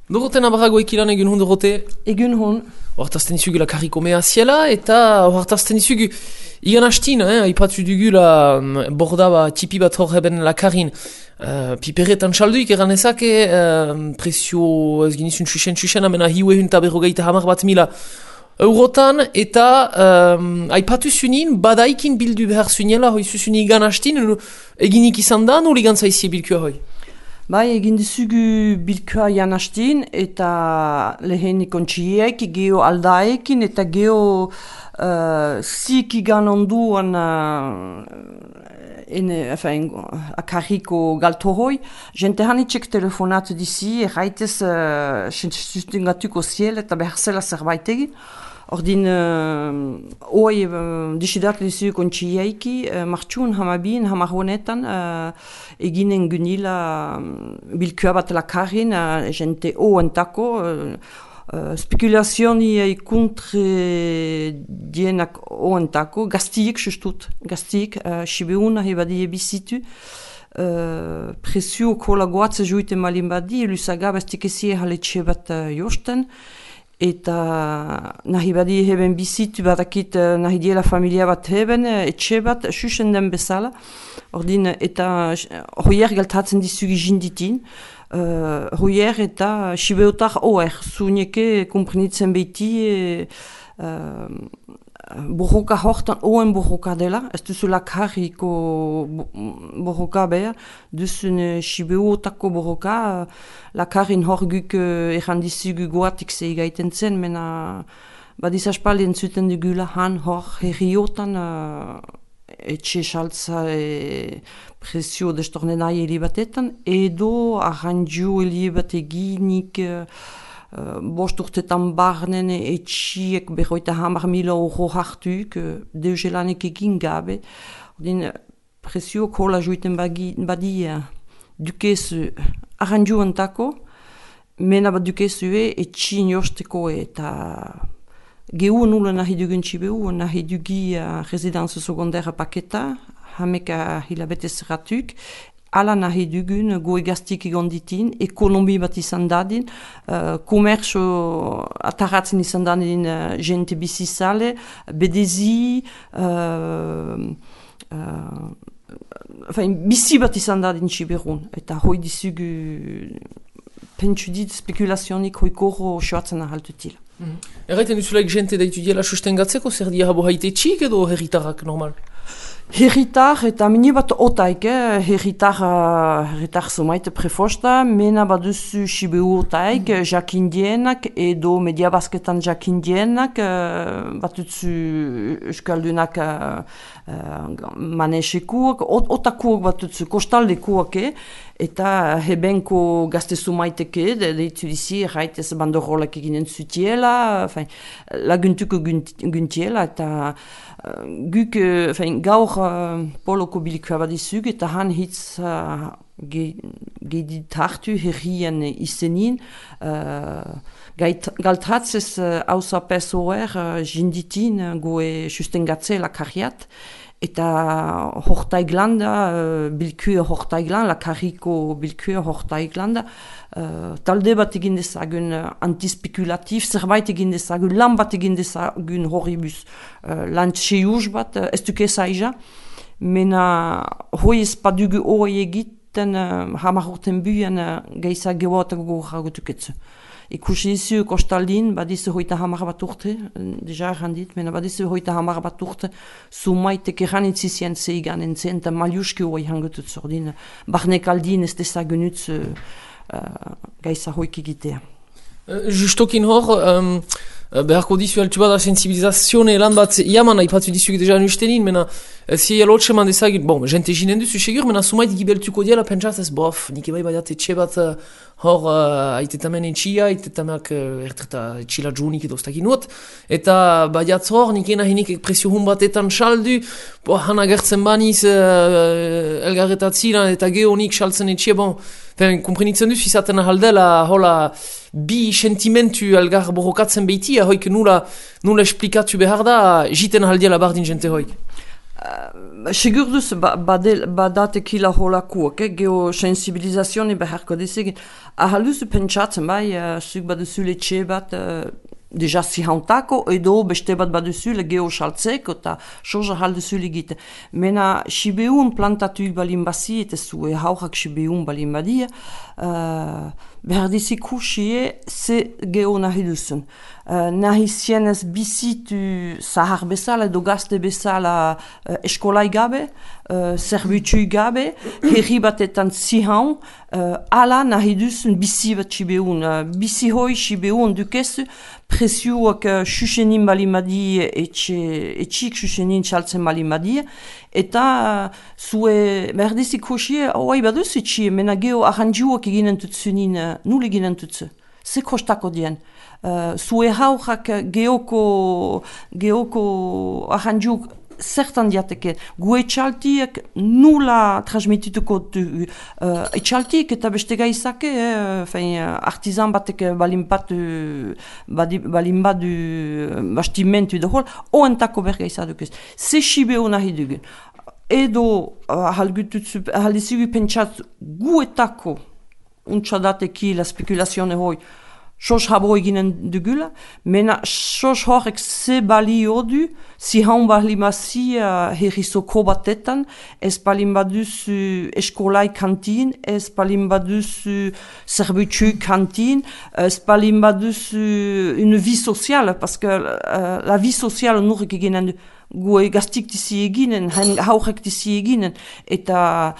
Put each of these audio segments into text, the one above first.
Doroten abarago ekilan egun hon dorote? Egun hon. Hortazten izugu la karriko mea ziela eta hortazten izugu igan hastin, haipatu dugu la borda tipi bat hor heben la karin. Piperetan salduik eran ezake presio ez ginizun txusen amena hiue hunta berrogeita hamar bat mila eurotan eta haipatu zunin badaikin bildu behar zuniela hoi zuzun igan hastin eginik izan da nol igan zaizie bilkua hoi? Bai, egin dizugu bilkua jan hastin eta lehenik ontxieek, geho aldaekin eta geho zik igan onduan akarriko galtohoi. Jente hanitxek telefonatu dizi, erraitez sustengatuko ziel eta behar zela zerbait egin. Ordin, hoi disidat dizugu ontxieeki, martxun hamabin, hamar honetan, eginen gunila bilkua bat lakarin, jente oentako, spekulazioni kontre dienak oentako, gaztiek sustut, gaztiek, sibeuna hebadie bizitu, presio kola goatze juite malin badi, elusaga bestik ezie haletxe bat josten, eta nahi badi heben bizitu badakit nahi diela familia bat heben, etxe bat, susen den bezala. Ordin, eta hoier galtatzen dizugi jinditin. Hoier eta sibeotar oer, zuuneke komprenitzen behiti borroka hortan oen borroka dela, ez duzula karriko borroka beha, duzun sibeotako borroka, lakarin horguk errandizugu goatik zeigaiten zen, mena badizaspaldien zuten dugula han hor herriotan etxe saltza presio destornenai helibatetan, edo arranju helibat eginik bost urtetan barnen etxiek berroita hamar mila euro hartuik, deuzelanek egin gabe. Ordin, presio kola juiten badia dukezu arranju entako, mena bat dukezue etxin josteko eta gehu nula nahi dugun txibeu, nahi dugi residenza secundaire paketa, hameka hilabetez ratuk, ala nahi dugun goe gaztik egonditin, ekonomi bat izan dadin, komerso ataratzen izan dadin jente bizizale, bedezi, bizi bat izan dadin txiberun, eta hoi dizugu pentsu dit spekulazionik hoi korro soatzen ahaltutila. Erraiten duzulaik jente daitu diela sustengatzeko, zer dia habo haite txik edo herritarrak normal? Herritar eta mini bat otaik, herritar zomaite prefosta, mena baduzu sibeu otaik, jakindienak edo media basketan jakindienak, batutzu euskaldunak manesekuak, otakuak batutzu kostaldekuak, eta hebenko gazte zumaiteke, deitu dizi, erraitez bandorolak eginen zutiela, laguntuko guntiela, eta guk gaur poloko bilkua badizug, eta han hitz gedit hartu herrien izenin, galtratzez hauza pesoer jinditin goe sustengatze lakarriat, eta hortaiglanda, bilkua hortaiglan, lakarriko bilkua hortaiglanda, talde bat egin dezagun antispekulatif, zerbait egin dezagun, lan bat egin dezagun horribus, lan txeuz bat, ez duke zaila, mena hoi ez padugu hori egiten hamar urten buien geisa geoatak goragotuketzu. Ikusi dizu kostaldin, badizu hoita hamar bat urte, deja errandit, mena badizu hoita hamar bat urte, sumaitek erranitzizien zeigan entzen, eta maliuski hori hangotut zordin, barnek aldin ez dezagunutz gaisa hoik egitea. Justokin hor, beharko dizu altu bada sensibilizazione lan bat iaman haipatu dizugu deja nustenin, mena zi elotxe man dezagin, bon, jente jinen duzu segur, mena sumait gibeltuko diela pentsat ez, bof, nik ebai badiat etxe bat hor aitetamen etxia, aitetamak ertreta etxila džunik edo stakin uot, eta badiat hor, nik enahinik presio hun batetan saldu, han agertzen baniz elgarretatzilan eta geonik saltzen etxia, bon, komprenitzen duz, izaten ahaldela, hola, bi sentimentu elgar borrokatzen behitia, hoik nula esplikatu behar da, jiten ahaldiela bardin jente hoik. Sigur duz, badatekila holakuak, geosensibilizazione beharko dizegin. Ahal duzu pentsatzen, bai, zuk baduzu letxe bat, deja zihantako, edo beste bat baduzu le geosaltzeko, eta soja ahal duzu legite. Mena, sibeun plantatu balin bazi, eta zue haurak sibeun balin badia, behar dizikusie ze geo nahi duzun. Nahi zienez bizitu zahar bezala edo gazte bezala eskolai gabe, zerbitzu gabe, herri batetan zihan, ala nahi duzun bizi bat sibeun. Bizi hoi sibeun dukezu, presioak xuxenin balimadi etxik xuxenin txaltzen balimadi, eta zue merdizik hoxie, oai baduz etxie, mena geho arrandjuak eginen tutzunin, nul eginen tutzu. Ze kostako dien. Zue haurak geoko arrandjuk zertan diateke. Gue etxaltiek nula transmitituko du. Etxaltiek eta beste gaizake, artizan batek balin badu bastimentu edo hol, oentako bergaizadukez. Ze xibeo nahi dugun. Edo haldizugu pentsat guetako untxadateki la spekulazione hoi sos habo eginen dugula, mena sos horrek ze balio du, si haun balimasi herrisoko batetan, ez balin baduzu eskolai kantin, ez balin baduzu zerbitzu kantin, ez balin baduzu une vie sociale, parce que la vie sociale nurrek eginen du. Gue gaztik dizi eginen, haurek dizi eginen, eta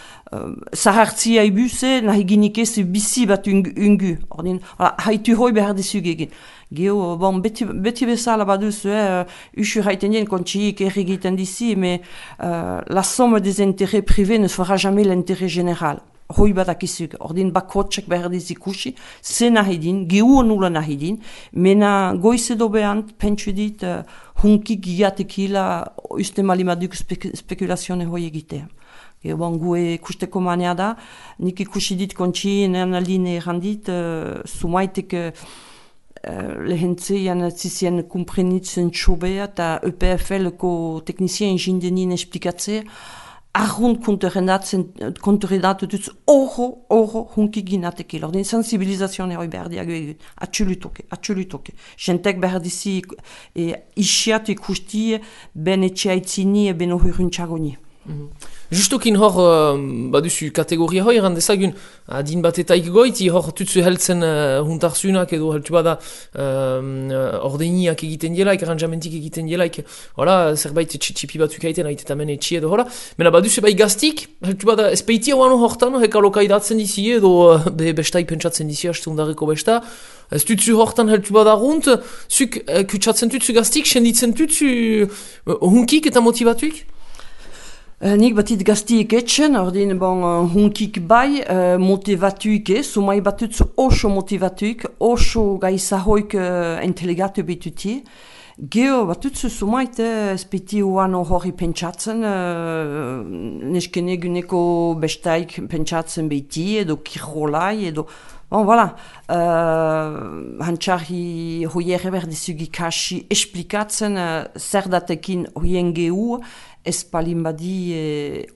zahartzia ibuse nahi ginik ez bizi bat ungu. Ordin, haitu hoi behar dizug egin. Geo, bon, beti bezala baduz, usur haiten dien kontxiik errigiten dizi, mais la somme des intérêts privés ne fera jamais l'intérêt général. Hoi badakizuk, ordin bakotxek behar dizikusi, ze nahi din, gehu nula nahi din, mena goiz edo behant, pentsu dit, hunkik giatekila uste malimaduk spekulazione hoi egitea. Bon, gue kusteko manea da, nik ikusi dit kontxi, nean aline errandit, sumaitek lehentzeian zizien kumprenitzen txobea, eta EPFL-ko teknizien jindenin esplikatzea, arrunt konterredatu dutz oro hunki ginatekil. Ordin sensibilizazione hoi behar diago egun. Atxulutoke. Jentek behar dizi isiatu ikusti ben etxeaitzini ben ohiruntxagoni. Justokin hor, baduzu kategoria hoi erandezagun, adin batetaik goiti hor tutzu heltzen huntarzunak edo heltu bada ordeiniak egiten dielaik, arranjamentik egiten dielaik, hola, zerbait txipi batzuk haiten, haitetamen etxi edo hola. Mena baduzu bai gaztik, heltu bada espeitia oano hortan, heka lokaidatzen dizi edo bestai pentsatzen dizi haste undarreko besta. Ez tutzu hortan heltu bada runt, zuk kutsatzen tutzu gaztik, senditzen tutzu hunkik eta motivatuik? Nik batit gaztiek etxen, ordin hunkik bai, motivatuik sumai batutzu oso motivatuik, oso gaizahoik inteligatu bituti. Geo batutzu sumait espeti uano hori pentsatzen, neskene guneko bestaik pentsatzen behiti, edo kirolai, edo... Bon, voilà, hantxarri hoiere berdizugi kasi esplikatzen zer datekin hoien gehu, ez palin badi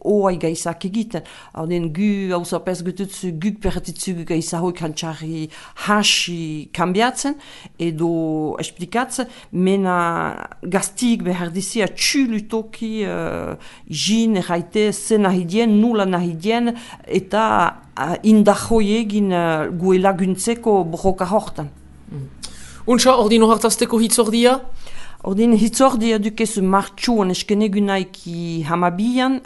oai gaizak egiten. Hauden gu hausapez gututzu guk perretitzu gaizahoik hantxarri hasi kambiatzen edo esplikatzen, mena gaztik behar dizia txulutoki jin erraite zen nahidien, nula nahidien, eta indahoi egin gue laguntzeko borroka hortan. Untsa, ordino hartazteko hitzordia? Ordin hitzordia dukezu martxuan eskenegunaiki hamabian,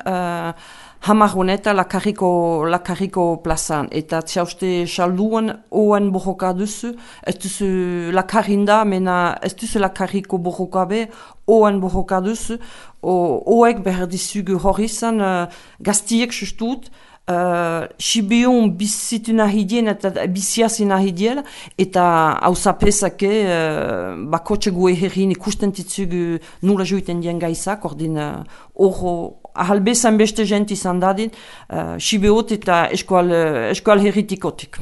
hamarroneta lakarriko plazan. Eta txauste salduan oen borroka duzu, ez duzu lakarrinda, mena ez duzu lakarriko borroka be, oen borroka duzu, oek behar dizugu hori izan, gaztiek sustut, Sibion bizitu nahi dien eta biziazi nahi diela eta hausapesake bakotxe gue herrin ikusten titzugu nula juiten dien gaizak, ordin ahalbezan beste jent izan dadin Sibiot eta eskual herritikotik.